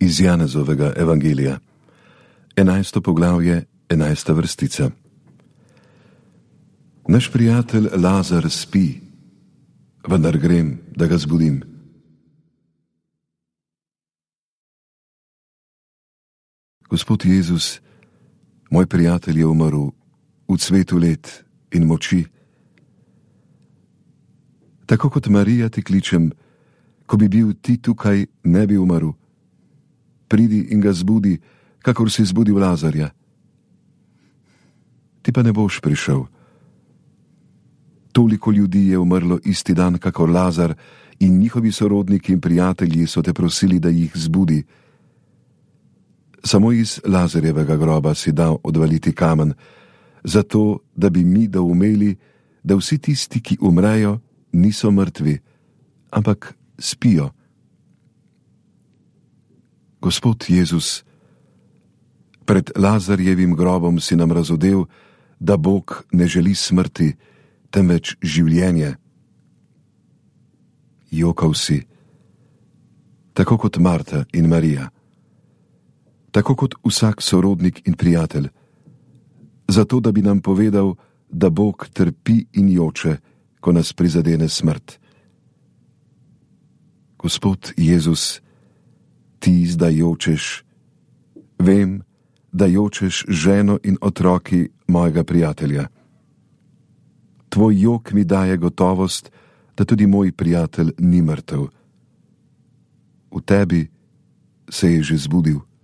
Iz Janezovega evangelija, 11. poglavje, 11. vrstica. Naš prijatelj Lazar spi, vendar grem, da ga zbudim. Gospod Jezus, moj prijatelj je umrl v cvetu let in moči. Tako kot Marija ti kličem, ko bi bil ti tukaj, ne bi umrl. Pridi in ga zbudi, kakor si zbudil Lazarja. Ti pa ne boš prišel. Toliko ljudi je umrlo isti dan, kakor Lazar, in njihovi sorodniki in prijatelji so te prosili, da jih zbudi. Samo iz Lazarjevega groba si dal odvaliti kamen, zato da bi mi doumeli, da vsi tisti, ki umrejo, niso mrtvi, ampak spijo. Gospod Jezus, pred Lazarjevim grobom si nam razodel, da Bog ne želi smrti, temveč življenje. Jokal si, tako kot Marta in Marija, tako kot vsak sorodnik in prijatelj, zato da bi nam povedal, da Bog trpi in joče, ko nas prizadene smrt. Gospod Jezus, ti zdaj jočeš, vem, da jočeš ženo in otroki mojega prijatelja. Tvoj jok mi daje gotovost, da tudi moj prijatelj ni mrtev. V tebi se je že zbudil.